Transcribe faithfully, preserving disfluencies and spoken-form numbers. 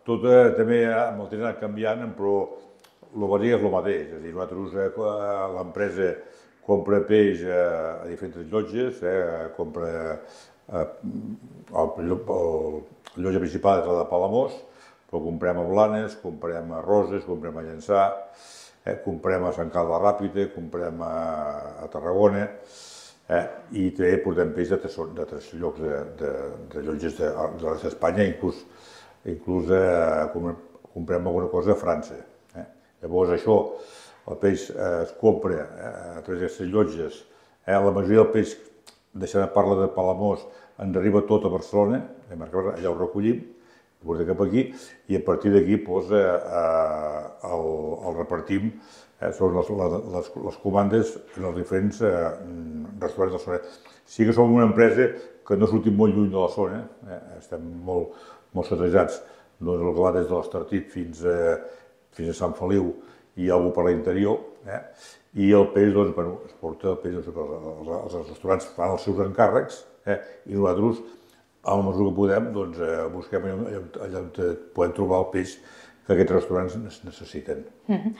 tot eh, també amb el temps ha anat canviant, però el bàsic és el mateix. És a dir, nosaltres, eh, l'empresa compra peix a, a diferents llotges, eh, compra eh, el, el, el llotja principal és la de Palamós, però comprem a Blanes, comprem a Roses, comprem a Llançà, eh, comprem a Sant Carles Ràpita, comprem a, a Tarragona, eh, i també portem peix de tres, de tres llocs de, de, de llotges de, de l'est d'Espanya, inclús, inclús eh, comprem alguna cosa a França. Eh. Llavors això, el peix eh, es compra eh, a través d'aquestes llotges, eh, la majoria del peix, deixant de parlar de Palamós, ens arriba tot a Barcelona, allà ho recollim, ho portem cap aquí, i a partir d'aquí doncs, eh, el, el repartim eh, sobre les, les, les comandes en els diferents eh, restaurants de la zona. Sí que som una empresa que no sortim molt lluny de la zona, eh, estem molt, molt satrejats, doncs el que va des de l'Estartit fins, a, fins a Sant Feliu i alguna per l'interior, eh, i el peix doncs, bueno, es porta el peix, doncs, els, els restaurants fan els seus encàrrecs, eh, i nosaltres, a la mesura que podem, doncs, eh, busquem allà, allà on podem trobar el peix que aquests restaurants necessiten. Mm-hmm.